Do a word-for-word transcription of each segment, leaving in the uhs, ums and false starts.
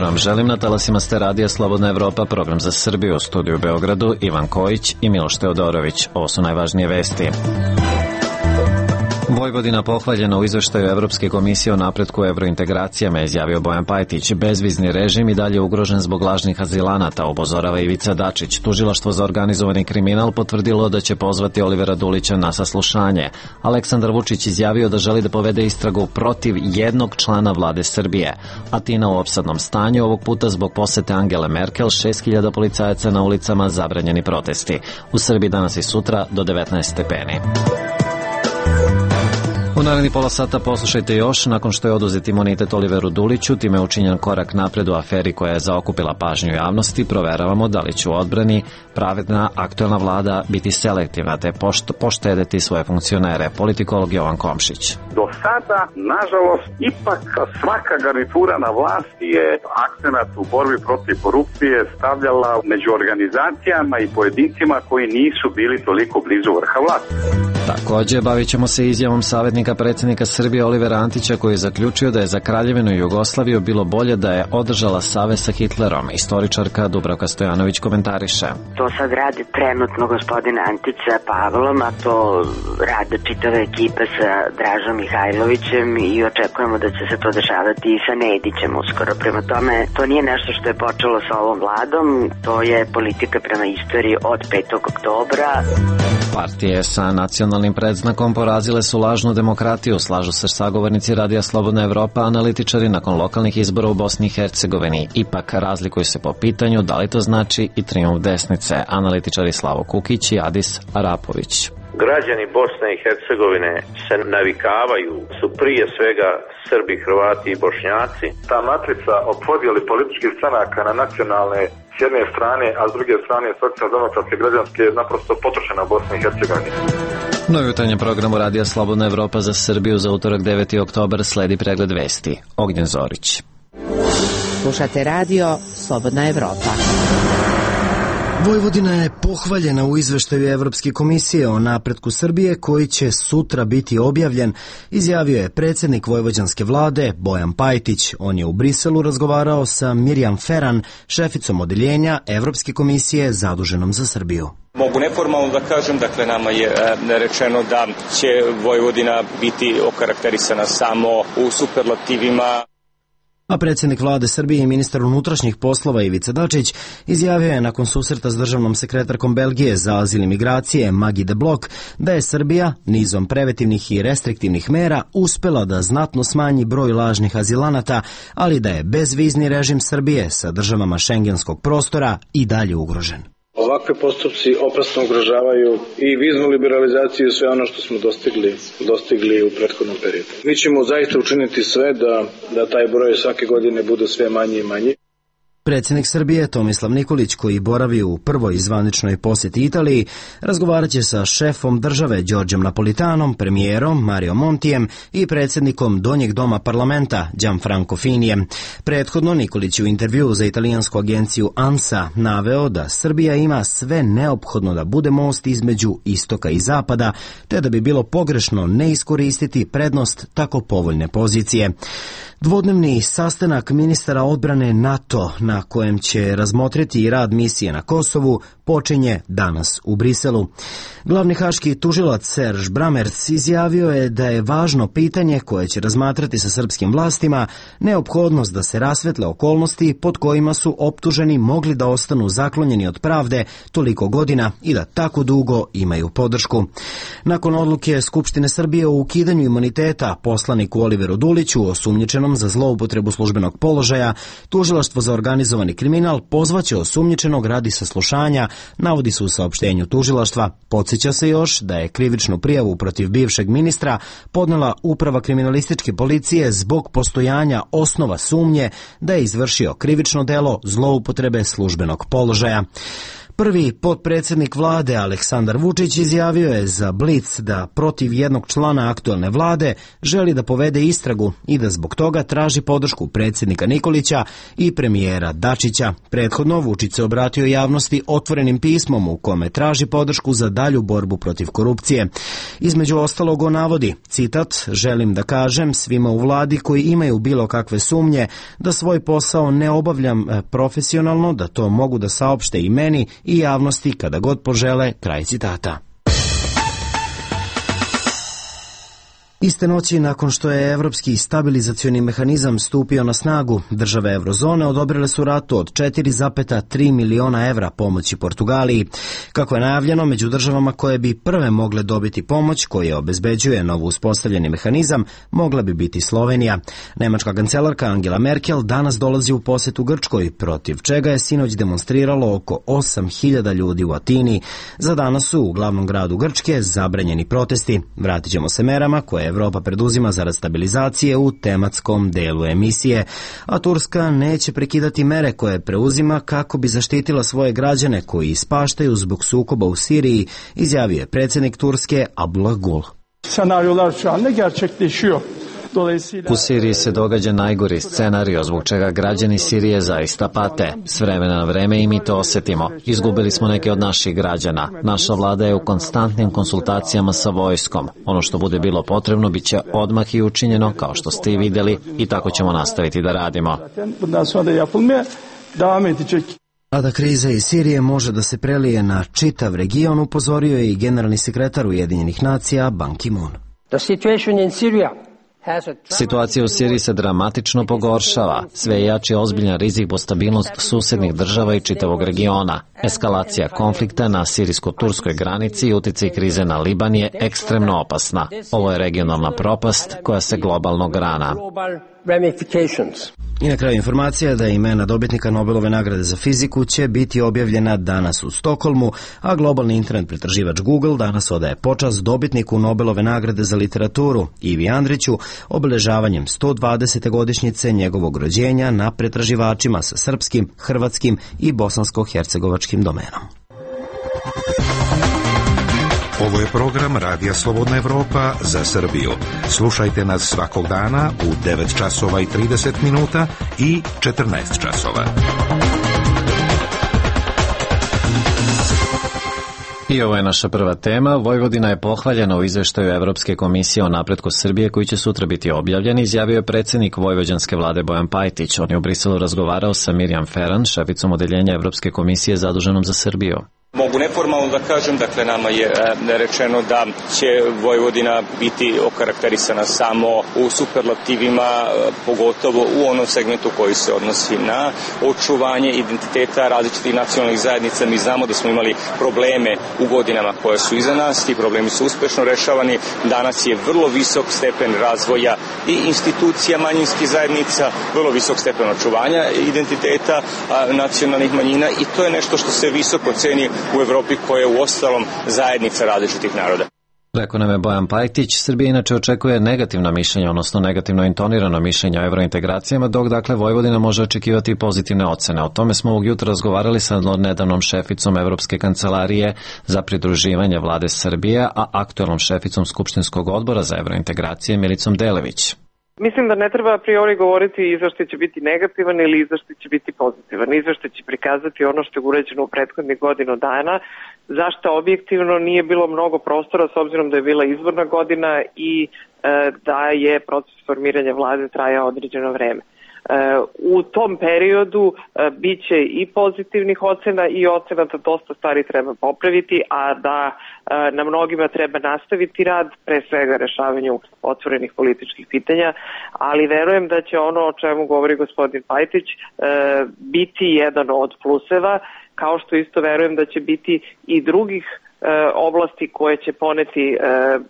vam želim. Na talasima ste Radija Slobodna Evropa, program za Srbiju, u studiju u Beogradu Ivan Kojić i Miloš Teodorović. Ovo su najvažnije vesti. Vojvodina pohvaljena u izveštaju Evropske komisije o napretku evrointegracijama, izjavio Bojan Pajtić. Bezvizni režim i dalje ugrožen zbog lažnih azilanata, upozorava Ivica Dačić. Tužilaštvo za organizovani kriminal potvrdilo da će pozvati Olivera Dulića na saslušanje. Aleksandar Vučić izjavio da želi da povede istragu protiv jednog člana vlade Srbije. Atina u opsadnom stanju, ovog puta zbog posete Angele Merkel, šest hiljada policajaca na ulicama, zabranjeni protesti. U Srbiji danas i sutra do devetnaest stepeni. U narednih pola sata poslušajte još. Nakon što je oduzet imunitet Oliveru Duliću, time je učinjen korak napred u aferi koja je zaokupila pažnju javnosti. Proveravamo da li će u odbrani pravedna aktuelna vlada biti selektivna te pošto, poštedeti svoje funkcionere. Politikolog Jovan Komšić. Do sada, nažalost, ipak svaka garnitura na vlasti je akcenat u borbi protiv korupcije stavljala među organizacijama i pojedincima koji nisu bili toliko blizu vrha vlasti. Takođe, bavit ćemo se izjavom savjetnika predsjednika Srbije Olivera Antića, koji je zaključio da je za Kraljevinu Jugoslaviju bilo bolje da je održala savez sa Hitlerom. Istoričarka Dubravka Stojanović komentariše. To sad radi trenutno gospodin Antić sa Pavlom, a to rade čitave ekipe sa Dražom Mihajlovićem i očekujemo da će se to dešavati i sa Nedićem uskoro. Prema tome, to nije nešto što je počelo sa ovom vladom, to je politika prema istoriji od petog oktobra. Partije sa nacionalnim predznakom porazile su lažnu demokratiju, slažu se sagovornici Radija Slobodna Evropa, analitičari nakon lokalnih izbora u Bosni i Hercegovini. Ipak razlikuju se po pitanju da li to znači i trijumf desnice. Analitičari Slavo Kukić i Adis Arapović. Građani Bosne i Hercegovine se navikavaju, su prije svega Srbi, Hrvati i Bošnjaci. Ta matrica o podjeli političkih stranaka na nacionalne s jedne strane, a s druge strane socijaldemokratske građanske je naprosto potrošena u Bosni i Hercegovini. Novi jutarnjem programu Radija Slobodna Evropa za Srbiju za utorak deveti oktobar sledi pregled vesti. Ognjen Zorić. Slušate Radio Slobodna Evropa. Vojvodina je pohvaljena u izveštaju Evropske komisije o napretku Srbije koji će sutra biti objavljen, izjavio je predsjednik vojvođanske vlade Bojan Pajtić. On je u Briselu razgovarao sa Mirjam Feran, šeficom odeljenja Evropske komisije zaduženom za Srbiju. Mogu neformalno da kažem, dakle nama je e, rečeno da će Vojvodina biti okarakterisana samo u superlativima. A predsjednik vlade Srbije i ministar unutrašnjih poslova Ivica Dačić izjavio je nakon susreta s državnom sekretarkom Belgije za azil i migracije Maggie de Blok da je Srbija nizom preventivnih i restriktivnih mera uspela da znatno smanji broj lažnih azilanata, ali da je bezvizni režim Srbije sa državama šengenskog prostora i dalje ugrožen. Ovakve postupci opasno ugrožavaju i viznu liberalizaciju i sve ono što smo dostigli, dostigli u prethodnom periodu. Mi ćemo zaista učiniti sve da, da taj broj svake godine bude sve manji i manji. Predsjednik Srbije Tomislav Nikolić, koji boravi u prvoj zvaničnoj posjeti Italiji, razgovarat će sa šefom države Đorđem Napolitanom, premijerom Mario Montijem i predsjednikom Donjeg doma parlamenta Gianfranco Finijem. Prethodno Nikolić u intervjuu za italijansku agenciju ANSA naveo da Srbija ima sve neophodno da bude most između istoka i zapada, te da bi bilo pogrešno ne iskoristiti prednost tako povoljne pozicije. Dvodnevni sastanak ministara odbrane NATO na kojem će razmotriti i rad misije na Kosovu počinje danas u Briselu. Glavni haški tužilac Serž Bramerc izjavio je da je važno pitanje koje će razmatrati sa srpskim vlastima neophodnost da se rasvetle okolnosti pod kojima su optuženi mogli da ostanu zaklonjeni od pravde toliko godina i da tako dugo imaju podršku. Nakon odluke Skupštine Srbije o ukidanju imuniteta poslaniku Oliveru Duliću, osumnjičenom za zloupotrebu službenog položaja, tužilaštvo za organizovani kriminal pozvaće osumnjičenog radi saslušanja, navodi se u saopštenju tužilaštva. Podsjeća se još da je krivičnu prijavu protiv bivšeg ministra podnela Uprava kriminalističke policije zbog postojanja osnova sumnje da je izvršio krivično delo zloupotrebe službenog položaja. Prvi potpredsjednik vlade Aleksandar Vučić izjavio je za Blic da protiv jednog člana aktuelne vlade želi da povede istragu i da zbog toga traži podršku predsjednika Nikolića i premijera Dačića. Prethodno Vučić se obratio javnosti otvorenim pismom u kome traži podršku za dalju borbu protiv korupcije. Između ostalog on navodi, citat, želim da kažem svima u vladi koji imaju bilo kakve sumnje da svoj posao ne obavljam profesionalno, da to mogu da saopšte i meni i javnosti kada god požele, kraj citata. Iste noći, nakon što je Evropski stabilizacioni mehanizam stupio na snagu, države Eurozone odobrile su ratu od četiri zarez tri miliona evra pomoći Portugaliji. Kako je najavljeno, među državama koje bi prve mogle dobiti pomoć, koje obezbeđuje novo uspostavljeni mehanizam, mogla bi biti Slovenija. Nemačka kancelarka Angela Merkel danas dolazi u posetu Grčkoj, protiv čega je sinoć demonstriralo oko osam hiljada ljudi u Atini. Za danas su u glavnom gradu Grčke zabranjeni protesti. Vratit ćemo se merama koje Evropa preduzima zarad stabilizacije u tematskom delu emisije, a Turska neće prekidati mere koje preuzima kako bi zaštitila svoje građane koji ispaštaju zbog sukoba u Siriji, izjavio je predsjednik Turske Abdullah Gül. Senaryolar şu anda gerçekleşiyor. U Siriji se događa najgori scenario zbog čega građani Sirije zaista pate. S vremena na vreme i mi to osjetimo. Izgubili smo neke od naših građana. Naša vlada je u konstantnim konsultacijama sa vojskom. Ono što bude bilo potrebno bit će odmah i učinjeno, kao što ste i vidjeli, i tako ćemo nastaviti da radimo. A da kriza iz Sirije može da se prelije na čitav region, upozorio je i generalni sekretar Ujedinjenih nacija Ban Ki-moon. The situation in Syria Situacija u Siriji se dramatično pogoršava. Sve je jači ozbiljan rizik po stabilnost susednih država i čitavog regiona. Eskalacija konflikta na sirijsko-turskoj granici i uticaj krize na Liban je ekstremno opasna. Ovo je regionalna propast koja se globalno grana. I na kraju informacija da imena dobitnika Nobelove nagrade za fiziku će biti objavljena danas u Stokholmu, a globalni internet pretraživač Google danas odaje počast dobitniku Nobelove nagrade za literaturu Ivi Andriću obeležavanjem sto dvadesete godišnjice njegovog rođenja na pretraživačima sa srpskim, hrvatskim i bosansko-hercegovačkim domenom. Ovo je program Radija Slobodna Evropa za Srbiju. Slušajte nas svakog dana u devet časova i trideset minuta i četrnaest časova. I ovo je naša prva tema. Vojvodina je pohvaljena u izveštaju Evropske komisije o napretku Srbije koji će sutra biti objavljen, izjavio je predsjednik vojvođanske vlade Bojan Pajtić. On je u Briselu razgovarao sa Mirjam Ferran, šeficom odeljenja Evropske komisije zaduženom za Srbiju. Mogu neformalno da kažem, dakle nama je rečeno da će Vojvodina biti okarakterisana samo u superlativima, pogotovo u onom segmentu koji se odnosi na očuvanje identiteta različitih nacionalnih zajednica. Mi znamo da smo imali probleme u godinama koje su iza nas, ti problemi su uspešno rešavani. Danas je vrlo visok stepen razvoja i institucija manjinskih zajednica, vrlo visok stepen očuvanja identiteta nacionalnih manjina i to je nešto što se visoko ceni u Evropi koja je u ostalom zajednica različitih naroda. Rekao nam je Bojan Pajtić. Srbija inače očekuje negativno mišljenje, odnosno negativno intonirano mišljenje o evrointegracijama, dok dakle Vojvodina može očekivati pozitivne ocene. O tome smo ovog jutra razgovarali sa nedavnom šeficom Evropske kancelarije za pridruživanje vlade Srbije, a aktuelnom šeficom Skupštinskog odbora za evrointegracije Milicom Delević. Mislim da ne treba a priori govoriti izveštaj će biti negativan ili izveštaj će biti pozitivan. Izveštaj će prikazati ono što je urađeno u prethodnih godinu dana, zašto objektivno nije bilo mnogo prostora s obzirom da je bila izborna godina i e, da je proces formiranja vlade trajao određeno vreme. U tom periodu bit će i pozitivnih ocena i ocena da dosta stvari treba popraviti, a da na mnogima treba nastaviti rad, pre svega rešavanju otvorenih političkih pitanja, ali verujem da će ono o čemu govori gospodin Pajtić biti jedan od pluseva, kao što isto verujem da će biti i drugih oblasti koje će poneti,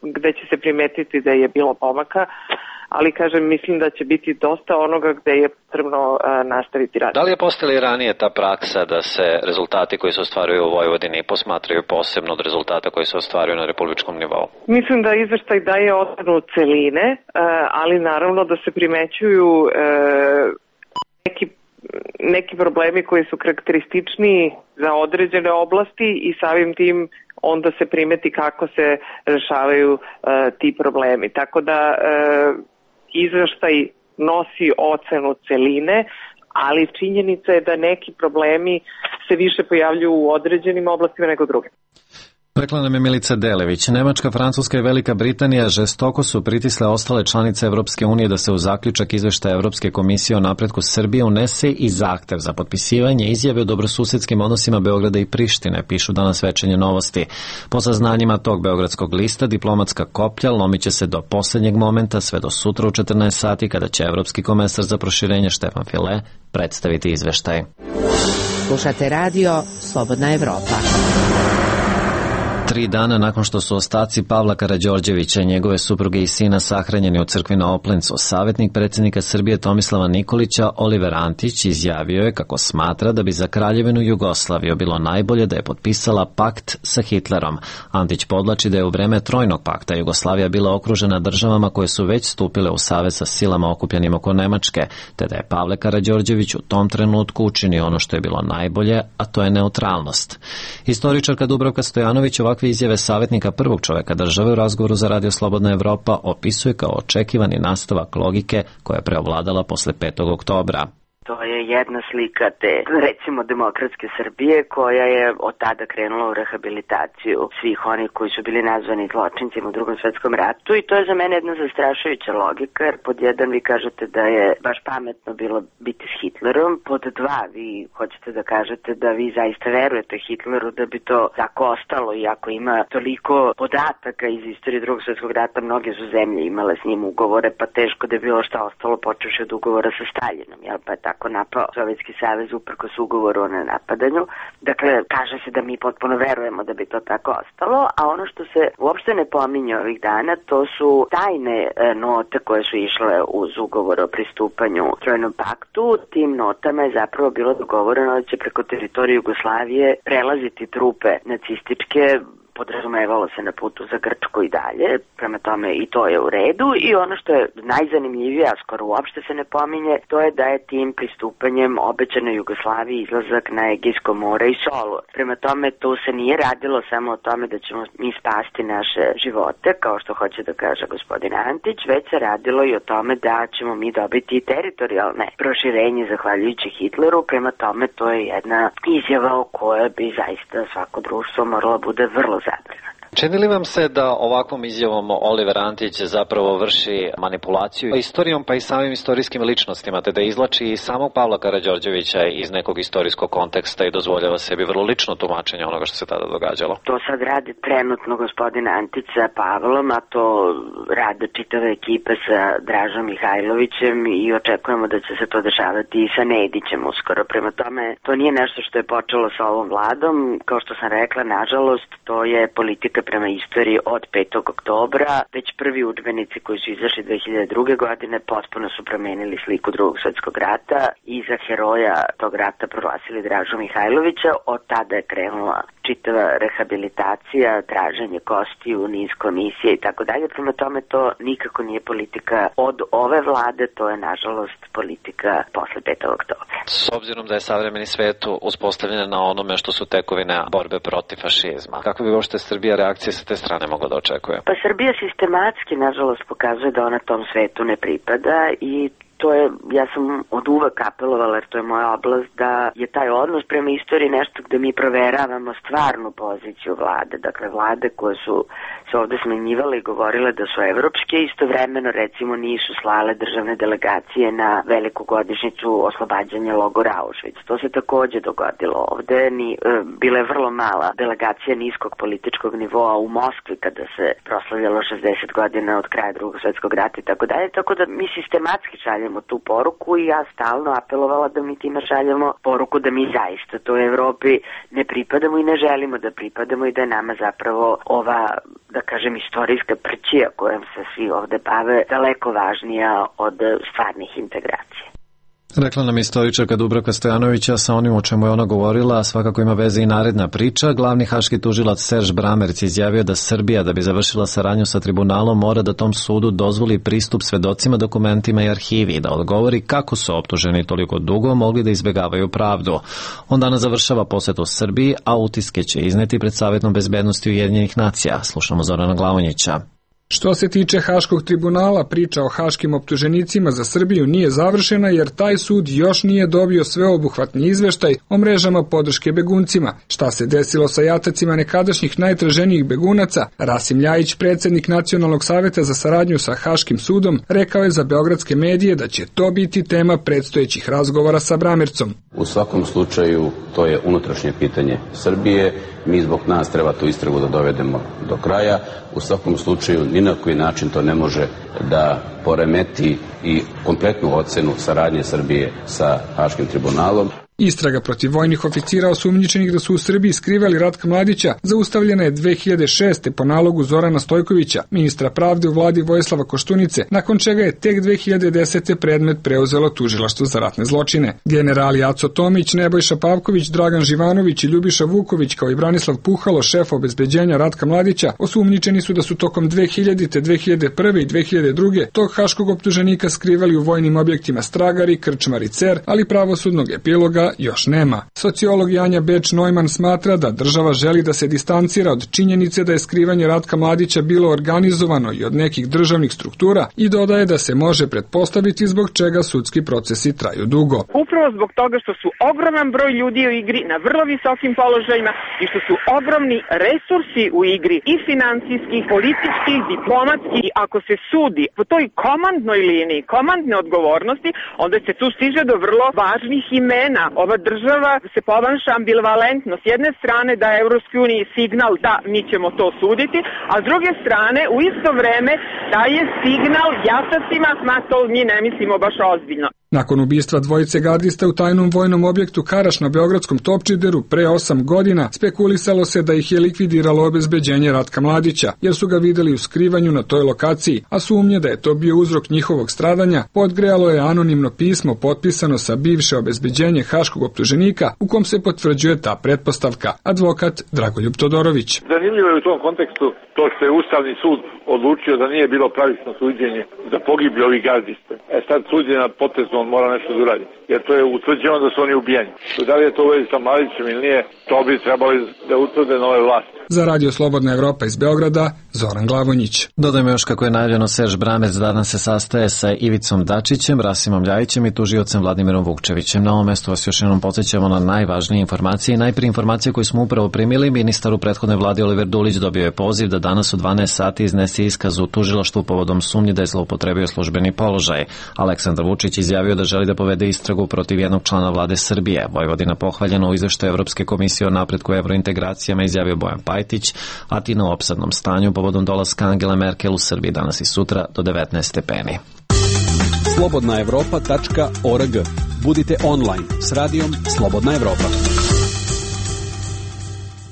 gde će se primetiti da je bilo pomaka, ali kažem, mislim da će biti dosta onoga gde je potrebno nastaviti rad. Da li je postala ranije ta praksa da se rezultati koji se ostvaruju u Vojvodini posmatraju posebno od rezultata koji se ostvaruju na republičkom nivou? Mislim da izveštaj daje ocenu celine, ali naravno da se primećuju neki neki problemi koji su karakteristični za određene oblasti i samim tim onda se primeti kako se rešavaju uh, ti problemi. Tako da uh, izveštaj nosi ocenu celine, ali činjenica je da neki problemi se više pojavljuju u određenim oblastima nego drugim. Rekla nam je Milica Delević. Nemačka, Francuska i Velika Britanija žestoko su pritisle ostale članice Evropske unije da se u zaključak izveštaja Evropske komisije o napretku Srbije unese i zahtev za potpisivanje izjave o dobrosusedskim odnosima Beograda i Prištine, pišu danas Večernje novosti. Po saznanjima tog beogradskog lista, diplomatska koplja lomit će se do poslednjeg momenta, sve do sutra u četrnaest sati, kada će Evropski komesar za proširenje Štefan File predstaviti izveštaj. Slušate radio Slobodna Evropa. Tri dana nakon što su ostaci Pavla Karađorđevića i njegove supruge i sina sahranjeni u crkvi na Oplencu, savjetnik predsjednika Srbije Tomislava Nikolića Oliver Antić izjavio je kako smatra da bi za Kraljevinu Jugoslaviju bilo najbolje da je potpisala pakt sa Hitlerom. Antić podlači da je u vreme Trojnog pakta Jugoslavija bila okružena državama koje su već stupile u savez sa silama okupljenim oko Nemačke, te da je Pavle Karađorđević u tom trenutku učinio ono što je bilo najbolje, a to je neutralnost. Historičarka Dubravka Stojanović ovakve izjave savjetnika prvog čoveka države u razgovoru za Radio Slobodna Evropa opisuje kao očekivani nastavak logike koja je preovladala posle petog oktobra. To je jedna slika te, recimo, demokratske Srbije koja je od tada krenula u rehabilitaciju svih onih koji su bili nazvani zločincima u Drugom svetskom ratu i to je za mene jedna zastrašujuća logika, jer pod jedan vi kažete da je baš pametno bilo biti s Hitlerom, pod dva vi hoćete da kažete da vi zaista verujete Hitleru da bi to tako ostalo, iako ima toliko podataka iz istorije Drugog svetskog rata, mnoge su zemlje imale s njim ugovore, pa teško da je bilo šta ostalo počevši od ugovora sa Staljinom, jel, pa je tako napao Sovjetski savez uprkos ugovoru o nenapadanju. Dakle, kaže se da mi potpuno verujemo da bi to tako ostalo, a ono što se uopšte ne pominje ovih dana, to su tajne e, note koje su išle uz ugovor o pristupanju Trojnom paktu. Tim notama je zapravo bilo dogovoreno da će preko teritorije Jugoslavije prelaziti trupe nacističke, podrazumevalo se na putu za Grčku i dalje, prema tome i to je u redu i ono što je najzanimljivije, a skoro uopšte se ne pominje, to je da je tim pristupanjem obećano Jugoslaviji izlazak na Egejsko more i Solu. Prema tome to se nije radilo samo o tome da ćemo mi spasti naše živote, kao što hoće da kaže gospodin Antić, već se radilo i o tome da ćemo mi dobiti teritorijalne proširenje zahvaljujući Hitleru, prema tome to je jedna izjava o kojoj bi zaista svako društvo moralo bude vrlo zabrinuto. Čini li vam se da ovakvom izjavom Oliver Antić zapravo vrši manipulaciju istorijom pa i samim istorijskim ličnostima, te da izlači i samog Pavla Karađorđevića iz nekog istorijskog konteksta i dozvoljava sebi vrlo lično tumačenje onoga što se tada događalo? To sad radi trenutno gospodin Antić sa Pavlom, a to rade čitave ekipe sa Dražom Mihajlovićem i očekujemo da će se to dešavati i sa Nedićem uskoro. Prema tome, to nije nešto što je počelo sa ovom vladom, kao što sam rekla, nažalost, to je politika prema istoriji od petog oktobra. Već prvi udžbenici koji su izašli dve hiljade druge. godine potpuno su promenili sliku Drugog svetskog rata i za heroja tog rata proglasili Dražu Mihajlovića. Od tada je krenula čitava rehabilitacija, traženje kostiju, niz komisije i tako dalje. Prema tome to nikako nije politika od ove vlade, to je nažalost politika posle petog oktobra. S obzirom da je savremeni svet uspostavljen na onome što su tekovine borbe protiv fašizma, kako bi uopšte Srbija reakcije sa te strane mogla da očekuje? Pa Srbija sistematski, nažalost, pokazuje da ona tom svetu ne pripada i to je, ja sam od uvek apelovala, jer to je moja oblast, da je taj odnos prema istoriji nešto gde mi proveravamo stvarnu poziciju vlade. Dakle, vlade koje su se ovde smenjivale i govorile da su evropske, istovremeno recimo nisu slale državne delegacije na veliku godišnjicu oslobađanja logora Auschwitz. To se takođe dogodilo ovde. Ni, e, bila je vrlo mala delegacija niskog političkog nivoa u Moskvi kada se proslavljalo šezdeset godina od kraja Drugog svetskog rata i tako dalje. Tako da mi sistematski šaljemo tu poruku i ja stalno apelovala da mi time šaljemo poruku da mi zaista toj Evropi ne pripadamo i ne želimo da pripadamo i da je nama zapravo ova, da kažem, istorijska prćija kojom se svi ovde bave daleko važnija od stvarnih integracija. Rekla nam istoričarka Dubravka Stojanovića, sa onim o čemu je ona govorila, svakako ima veze i naredna priča. Glavni haški tužilac Serž Bramerc izjavio da Srbija, da bi završila saradnju sa tribunalom, mora da tom sudu dozvoli pristup svedocima, dokumentima i arhivi i da odgovori kako su optuženi toliko dugo mogli da izbegavaju pravdu. On danas završava posetu Srbiji, a utiske će izneti pred Savetom bezbednosti Ujedinjenih nacija. Slušamo Zorana Glavonjića. Što se tiče Haškog tribunala, priča o haškim optuženicima za Srbiju nije završena jer taj sud još nije dobio sveobuhvatni izveštaj o mrežama podrške beguncima. Šta se desilo sa jatacima nekadašnjih najtraženijih begunaca, Rasim Ljajić, predsjednik Nacionalnog saveta za saradnju sa Haškim sudom, rekao je za beogradske medije da će to biti tema predstojećih razgovora sa Bramercom. U svakom slučaju to je unutrašnje pitanje Srbije. Mi zbog nas treba tu istragu da dovedemo do kraja. U svakom slučaju ni na koji način to ne može da poremeti i kompletnu ocenu saradnje Srbije sa Haškim tribunalom. Istraga protiv vojnih oficira osumnjičenih da su u Srbiji skrivali Ratka Mladića zaustavljena je dve hiljade šeste. po nalogu Zorana Stojkovića, ministra pravde u vladi Vojislava Koštunice, nakon čega je tek dve hiljade desete. predmet preuzelo tužilaštvo za ratne zločine. Generali Aco Tomić, Nebojša Pavković, Dragan Živanović i Ljubiša Vuković kao i Branislav Puhalo, šef obezbeđenja Ratka Mladića, osumnjičeni su da su tokom dve hiljadite. dve hiljade prve. i dve hiljade druge. tog haškog optuženika skrivali u vojnim objektima Stragari, Krčmar i Cer, ali pravosudnog epiloga još nema. Sociolog Janja Beč-Neumann smatra da država želi da se distancira od činjenice da je skrivanje Ratka Mladića bilo organizovano i od nekih državnih struktura i dodaje da se može pretpostaviti zbog čega sudski procesi traju dugo. Upravo zbog toga što su ogroman broj ljudi u igri na vrlo visokim položajima i što su ogromni resursi u igri i finansijskih, političkih, diplomatskih. I ako se sudi po toj komandnoj liniji, komandne odgovornosti, onda se tu stiže do vrlo važnih imena. Ova država se ponaša ambivalentno. S jedne strane da je Evropskoj uniji signal da mi ćemo to suditi, a s druge strane u isto vreme daje signal jatacima, ma to mi ne mislimo baš ozbiljno. Nakon ubistva dvojice gardista u tajnom vojnom objektu Karaš na beogradskom Topčideru pre osam godina, spekulisalo se da ih je likvidiralo obezbeđenje Ratka Mladića, jer su ga videli u skrivanju na toj lokaciji, a sumnje da je to bio uzrok njihovog stradanja podgrejalo je anonimno pismo potpisano sa bivše obezbeđenje haškog optuženika u kom se potvrđuje ta pretpostavka. Advokat Dragoljub Todorović. Zanimljivo je u tom kontekstu to što je Ustavni sud odlučio da nije bilo pravično suđenje za pogibli ovih gardista. E sad suđenje na potezu on mora nešto da uradi, jer to je utvrđeno da su oni ubijeni. Da li je to u vezi sa Mladićem ili nije, to bi trebali da utvrde nove vlasti. Za Radio Slobodna Evropa iz Beograda, Zoran Glavonjić. Dodajmo još kako je najavljeno, Serž Bramerc danas se sastaje sa Ivicom Dačićem, Rasimom Ljajićem i tužiocem Vladimirom Vukčevićem. Na ovom mestu vas još jednom podsjećamo na najvažnije informacije. Najprije informacije koje smo upravo primili. Ministar u prethodnoj vladi Oliver Dulić dobio je poziv da danas u dvanaest sati iznese iskaz u tužilaštvu povodom sumnje da je zloupotrebio službeni položaj. Aleksandar Vučić izjavio da želi da povede istragu protiv jednog člana vlade Srbije. Vojvodina pohvaljena u izveštaju Evropske komisije o napretku evrointegracijama, izjavio Bojan Pajtić, a ti na opsadnom stanju povodom dolaska Angele Merkel u Srbiji danas i sutra do devetnaest stepeni. slobodna evropa tačka org. Budite online s radijom Slobodna Evropa.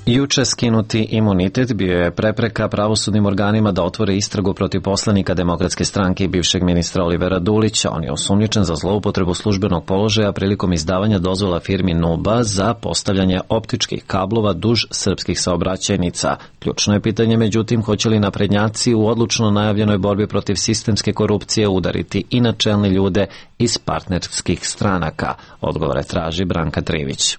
Juče skinuti imunitet bio je prepreka pravosudnim organima da otvore istragu protiv poslanika Demokratske stranke i bivšeg ministra Olivera Dulića. On je osumnjičen za zloupotrebu službenog položaja prilikom izdavanja dozvola firmi Nuba za postavljanje optičkih kablova duž srpskih saobraćajnica. Ključno je pitanje, međutim, hoće li naprednjaci u odlučno najavljenoj borbi protiv sistemske korupcije udariti i na čelne ljude iz partnerskih stranaka. Odgovore traži Branka Trivić.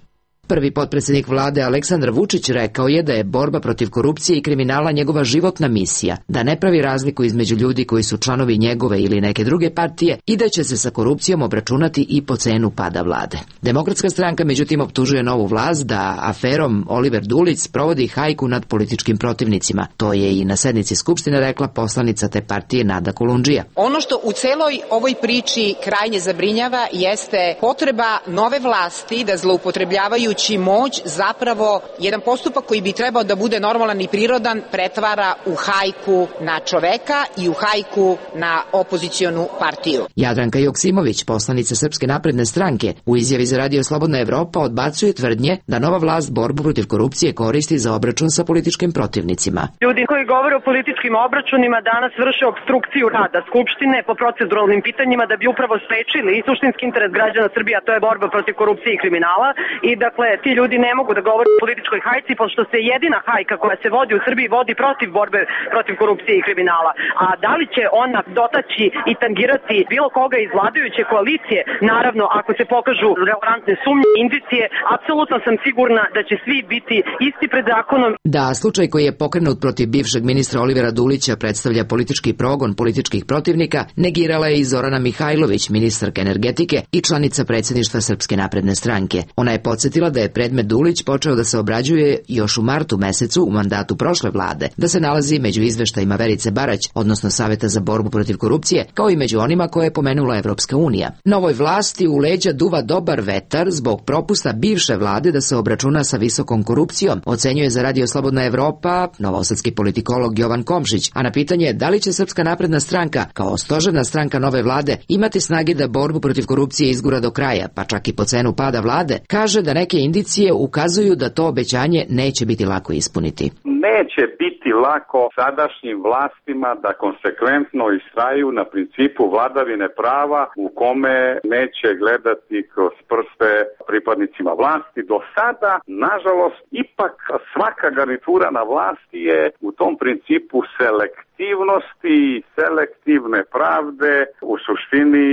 Prvi potpredsjednik vlade Aleksandar Vučić rekao je da je borba protiv korupcije i kriminala njegova životna misija, da ne pravi razliku između ljudi koji su članovi njegove ili neke druge partije i da će se sa korupcijom obračunati i po cenu pada vlade. Demokratska stranka međutim optužuje novu vlast da aferom Oliver Dulić sprovodi hajku nad političkim protivnicima. To je i na sednici Skupštine rekla poslanica te partije Nada Kolundžija. Ono što u celoj ovoj priči krajnje zabrinjava jeste potreba nove vlasti da zloupotrebljavajući dajući moć zapravo jedan postupak koji bi trebao da bude normalan i prirodan pretvara u hajku na čoveka i u hajku na opozicionu partiju. Jadranka Joksimović, poslanica Srpske napredne stranke, u izjavi za Radio Slobodna Evropa odbacuje tvrdnje da nova vlast borbu protiv korupcije koristi za obračun sa političkim protivnicima. Ljudi koji govore o političkim obračunima danas vrše obstrukciju rada Skupštine po proceduralnim pitanjima da bi upravo sprečili suštinski interes građana Srbije, a to je borba protiv korupcije i kriminala. I dakle, ti ljudi ne mogu da govore o političkoj hajci, pošto se jedina hajka koja se vodi u Srbiji vodi protiv borbe protiv korupcije i kriminala. A da li će ona dotaći i tangirati bilo koga iz vladajuće koalicije, naravno ako se pokažu relevantne sumnje, indicije, apsolutno sam sigurna da će svi biti isti pred zakonom. Da, slučaj koji je pokrenut protiv bivšeg ministra Olivera Dulića predstavlja politički progon političkih protivnika, negirala je i Zorana Mihajlović, ministarka energetike i članica predsjedništva Srpske napredne stranke. Ona je podsjetila da je predmet Dulić počeo da se obrađuje još u martu mesecu u mandatu prošle vlade, da se nalazi među izveštajima Verice Barać, odnosno Saveta za borbu protiv korupcije, kao i među onima koje je pomenula Evropska unija. Novoj vlasti u leđa duva dobar vetar zbog propusta bivše vlade da se obračuna sa visokom korupcijom, ocenjuje za Radio Slobodna Evropa novosadski politikolog Jovan Komšić, a na pitanje da li će Srpska napredna stranka kao stožerna stranka nove vlade imati snage da borbu protiv korupcije izgura do kraja, pa čak i po cenu pada vlade, kaže da neke indicije ukazuju da to obećanje neće biti lako ispuniti. Neće biti lako sadašnjim vlastima da konsekventno istraju na principu vladavine prava u kome neće gledati kroz prste pripadnicima vlasti. Do sada, nažalost, ipak svaka garnitura na vlasti je u tom principu selektivnosti i selektivne pravde u suštini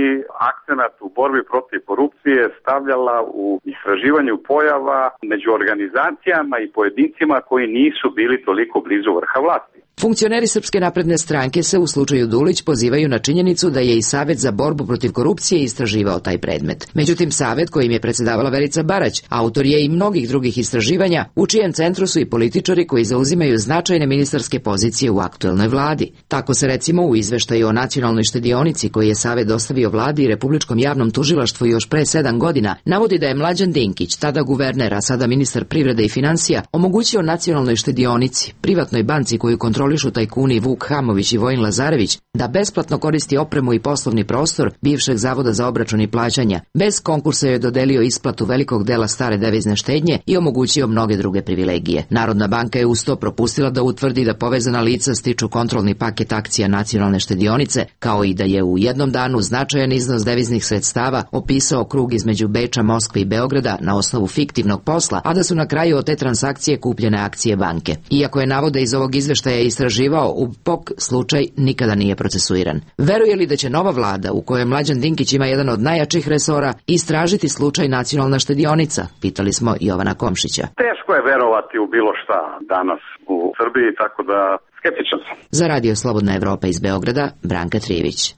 akcenat u borbi protiv korupcije stavljala u istraživanju pojava među organizacijama i pojedincima koji nisu bili toliko blizu vrha vlasti. Funkcioneri Srpske napredne stranke se u slučaju Dulić pozivaju na činjenicu da je i Savet za borbu protiv korupcije istraživao taj predmet. Međutim, Savet kojim je predsedavala Verica Barać, autor je i mnogih drugih istraživanja, u čijem centru su i političari koji zauzimaju značajne ministarske pozicije u aktuelnoj vladi. Tako se recimo u izveštaju o nacionalnoj štedionici koji je Savet dostavio vladi i Republičkom javnom tužilaštvu još pre sedam godina, navodi da je Mlađan Dinkić, tada guverner, a sada ministar privrede i finansija, omogućio nacionalnoj štedionici, privatnoj banci koju kontrolišu tajkuni Vuk Hamović i Vojin Lazarević, da besplatno koristi opremu i poslovni prostor bivšeg Zavoda za obračun i plaćanja. Bez konkursa je dodelio isplatu velikog dela stare devizne štednje i omogućio mnoge druge privilegije. Narodna banka je uz to propustila da utvrdi da povezana lica stiču kontrolni paket akcija nacionalne štedionice, kao i da je u jednom danu značajan iznos deviznih sredstava opisao krug između Beča, Moskve i Beograda na osnovu fiktivnog posla, a da su na kraju od te transakcije kupljene akcije banke. Iako je navode iz ovog izveštaja istraživao, U P O K slučaj nikada nije procesuiran. Veruje li da će nova vlada, u kojoj Mlađan Dinkić ima jedan od najjačih resora, istražiti slučaj nacionalna štedionica? Pitali smo Jovana Komšića. Teško je verovati u bilo šta danas u Srbiji, tako da skeptičan sam. Za Radio Slobodna Evropa iz Beograda, Branka Trivić.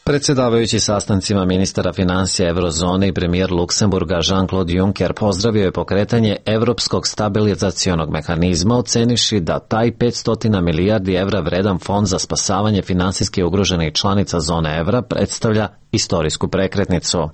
Predsjedavajući sastancima ministara finansija Eurozone i premijer Luksemburga Jean-Claude Juncker pozdravio je pokretanje Evropskog stabilizacionog mehanizma, oceniši da taj petsto milijardi evra vredan fond za spasavanje finansijski ugroženih članica zone evra predstavlja istorijsku prekretnicu.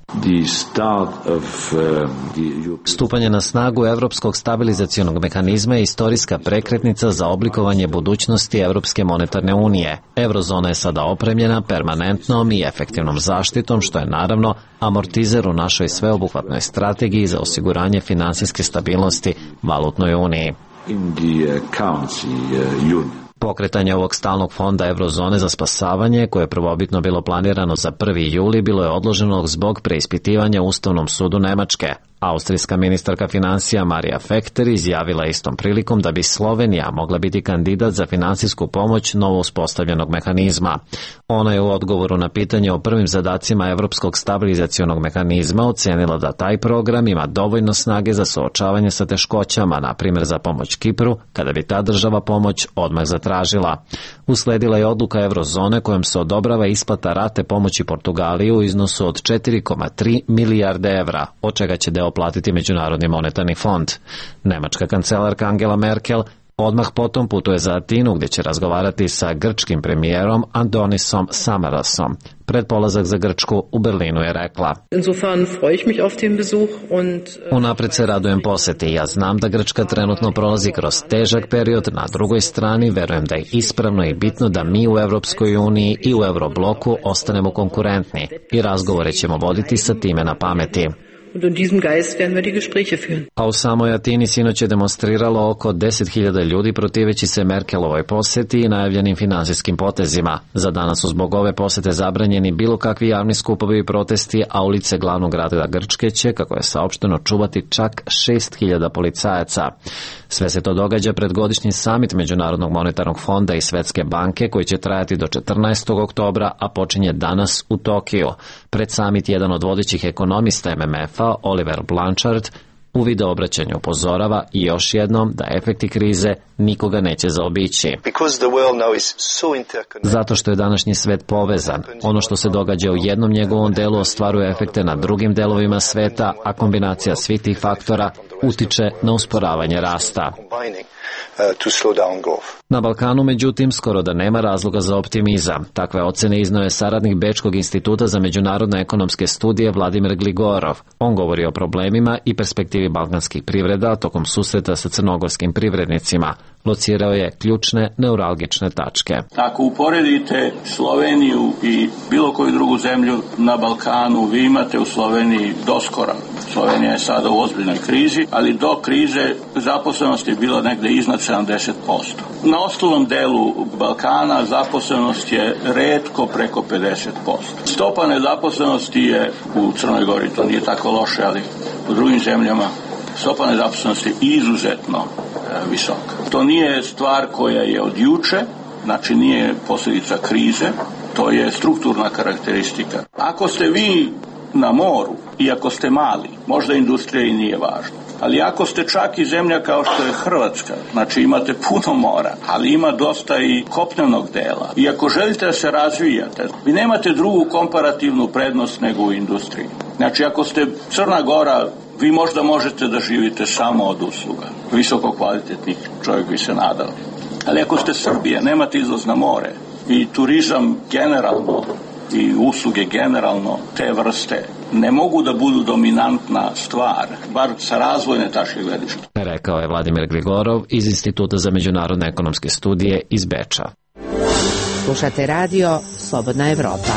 Stupanje na snagu Evropskog stabilizacionog mehanizma je istorijska prekretnica za oblikovanje budućnosti Evropske monetarne unije. Eurozona je sada opremljena permanentnom i efektivnom zaštitom, što je naravno amortizer u našoj sveobuhvatnoj strategiji za osiguranje finansijske stabilnosti valutnoj uniji. Pokretanje ovog stalnog fonda Eurozone za spasavanje, koje je prvobitno bilo planirano za prvi juli, bilo je odloženo zbog preispitivanja Ustavnom sudu Nemačke. Austrijska ministarka financija Marija Fekter izjavila istom prilikom da bi Slovenija mogla biti kandidat za finansijsku pomoć novo uspostavljenog mehanizma. Ona je u odgovoru na pitanje o prvim zadacima Evropskog stabilizacionog mehanizma ocenila da taj program ima dovoljno snage za suočavanje sa teškoćama, na primjer za pomoć Kipru, kada bi ta država pomoć odmah zatražila. Usledila je odluka Eurozone kojom se odobrava isplata rate pomoći Portugaliji u iznosu od četiri zarez tri milijarde evra, od čega će deo platiti Međunarodni monetarni fond. Nemačka kancelarka Angela Merkel Odmah potom putuje za Atinu gdje će razgovarati sa grčkim premijerom Andonisom Samarasom. Pred polazak za Grčku u Berlinu je rekla: Unapred se radujem poseti. Ja znam da Grčka trenutno prolazi kroz težak period. Na drugoj strani verujem da je ispravno i bitno da mi u Evropskoj uniji i u Eurobloku ostanemo konkurentni i razgovore ćemo voditi sa time na pameti. A u samoj Atini sinoć je demonstriralo oko deset hiljada ljudi protiveći se Merkelovoj poseti i najavljenim finansijskim potezima. Za danas su zbog ove posete zabranjeni bilo kakvi javni skupovi i protesti, a ulice glavnog grada Grčke će, kako je saopšteno, čuvati čak šest hiljada policajaca. Sve se to događa pred godišnji samit Međunarodnog monetarnog fonda i Svetske banke koji će trajati do četrnaestog oktobra, a počinje danas u Tokiju. Pred samit jedan od vodećih ekonomista M M F-a, Oliver Blanchard, u video obraćanju upozorava i još jednom da efekti krize nikoga neće zaobići. Zato što je današnji svet povezan. Ono što se događa u jednom njegovom delu ostvaruje efekte na drugim delovima sveta, a kombinacija svih tih faktora utiče na usporavanje rasta. Na Balkanu, međutim, skoro da nema razloga za optimizam. Takve ocene izneo je saradnik Bečkog instituta za međunarodne ekonomske studije Vladimir Gligorov. On govori o problemima i perspektivi balkanskih privreda tokom susreta sa crnogorskim privrednicima. Locirao je ključne neuralgične tačke. Ako uporedite Sloveniju i bilo koju drugu zemlju na Balkanu, vi imate u Sloveniji doskora. Slovenija je sada u ozbiljnoj krizi, ali do krize zaposlenost je bila negde iznad sedamdeset posto. Na ostalom delu Balkana zaposlenost je retko preko pedeset posto. Stopa nezaposlenosti je u Crnoj Gori, to nije tako loše, ali u drugim zemljama stopa nezaposlenosti je izuzetno e, visoka. To nije stvar koja je od juče, znači nije posljedica krize, to je strukturna karakteristika. Ako ste vi na moru i ako ste mali, možda industrija i nije važna. Ali ako ste čak i zemlja kao što je Hrvatska, znači imate puno mora, ali ima dosta i kopnenog dela. I ako želite da se razvijate, vi nemate drugu komparativnu prednost nego u industriji. Znači ako ste Crna Gora, vi možda možete da živite samo od usluga. Visoko kvalitetnih, čovjek bi se nadao. Ali ako ste Srbija, nemate izlaz na more i turizam generalno i usluge generalno te vrste ne mogu da budu dominantna stvar, bar sa razvojne tačke gledišta. Rekao je Vladimir Gligorov iz Instituta za međunarodne ekonomske studije iz Beča. Slušate radio Slobodna Evropa.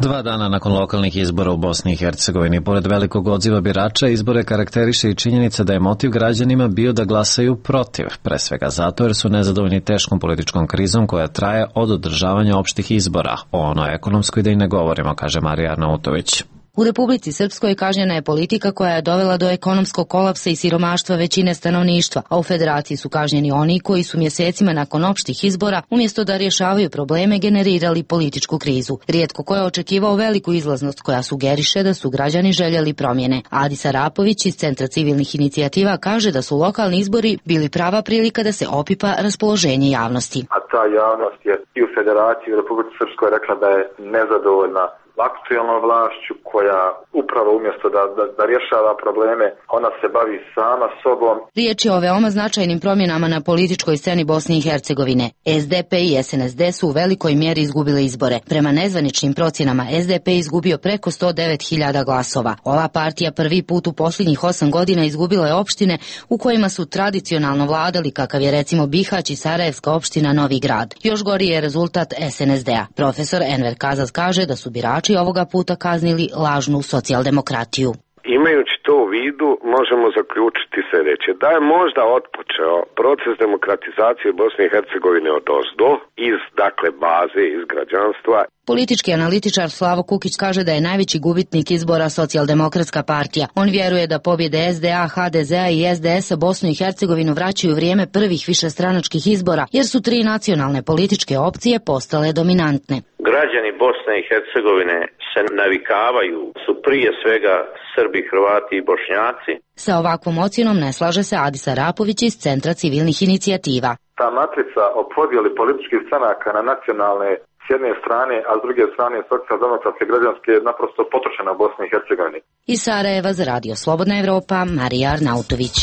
Dva dana nakon lokalnih izbora u Bosni i Hercegovini, pored velikog odziva birača, izbore karakteriše i činjenica da je motiv građanima bio da glasaju protiv, pre svega zato jer su nezadovoljni teškom političkom krizom koja traje od održavanja opštih izbora. O onoj ekonomskoj da i ne govorimo, kaže Marija Arnautović. U Republici Srpskoj kažnjena je politika koja je dovela do ekonomskog kolapsa i siromaštva većine stanovništva, a u Federaciji su kažnjeni oni koji su mjesecima nakon opštih izbora, umjesto da rješavaju probleme, generirali političku krizu. Rijetko ko je očekivao veliku izlaznost koja sugeriše da su građani željeli promjene. Adis Arapović iz Centra civilnih inicijativa kaže da su lokalni izbori bili prava prilika da se opipa raspoloženje javnosti. A ta javnost je i u Federaciji u Republici Srpskoj rekla da je nezadovoljna aktualnom vlašću koja upravo umjesto da, da, da rješava probleme, ona se bavi sama sobom. Riječ je o veoma značajnim promjenama na političkoj sceni Bosne i Hercegovine. S D P i S N S D su u velikoj mjeri izgubile izbore. Prema nezvaničnim procjenama S D P izgubio preko sto devet hiljada glasova. Ova partija prvi put u posljednjih osam godina izgubila je opštine u kojima su tradicionalno vladali, kakav je recimo Bihać i Sarajevska opština Novi Grad. Još gori je rezultat S N S D-a. Profesor Enver Kazaz kaže da su birači ovoga puta kaznili lažnu socijaldemokratiju. Imajući to u vidu, možemo zaključiti sljedeće. Da je možda otpočeo proces demokratizacije Bosne i Hercegovine od ozdo, iz, dakle, baze, iz građanstva. Politički analitičar Slavo Kukić kaže da je najveći gubitnik izbora Socijaldemokratska partija. On vjeruje da pobjede S D A, H D Z-a i S D S-a Bosnu i Hercegovinu vraćaju vrijeme prvih višestranačkih izbora, jer su tri nacionalne političke opcije postale dominantne. Građani Bosne i Hercegovine se navikavaju, su prije svega Srbi, Hrvati i Bošnjaci. Sa ovakvom ocjenom ne slaže se Adis Arapović iz Centra civilnih inicijativa. Ta matrica o podjeli političkih stranaka na nacionalne s jedne strane, a s druge strane socijaldemokratske građanske je naprosto potrošena u Bosni i Hercegovini. Iz Sarajeva za radio Slobodna Evropa, Marija Arnautović.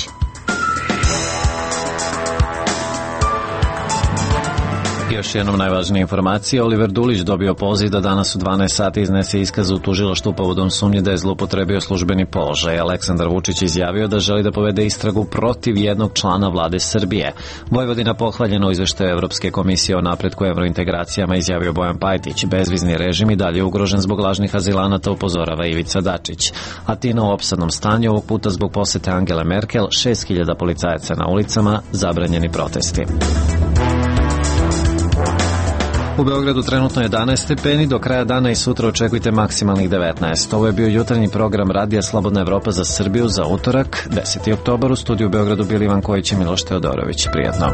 Još jednom najvažnije informacije. Oliver Dulić dobio poziv da danas u dvanaest sati iznese iskaz u tužilaštvu povodom sumnje da je zloupotrebio službeni položaj. Aleksandar Vučić izjavio da želi da povede istragu protiv jednog člana vlade Srbije. Vojvodina pohvaljena u izveštaju Evropske komisije o napretku evrointegracijama, izjavio Bojan Pajtić. Bezvizni režim i dalje ugrožen zbog lažnih azilanata, upozorava Ivica Dačić. Atina u opsadnom stanju, ovog puta zbog posete Angele Merkel, šest hiljada policajaca na ulicama, zabranjeni protesti. U Beogradu trenutno jedanaest stepeni, do kraja dana i sutra očekujte maksimalnih devetnaest. Ovo je bio jutarnji program Radija Slobodna Evropa za Srbiju za utorak, deseti oktobar. U studiju u Beogradu bili Ivan Kojić i Miloš Teodorović. Prijatno.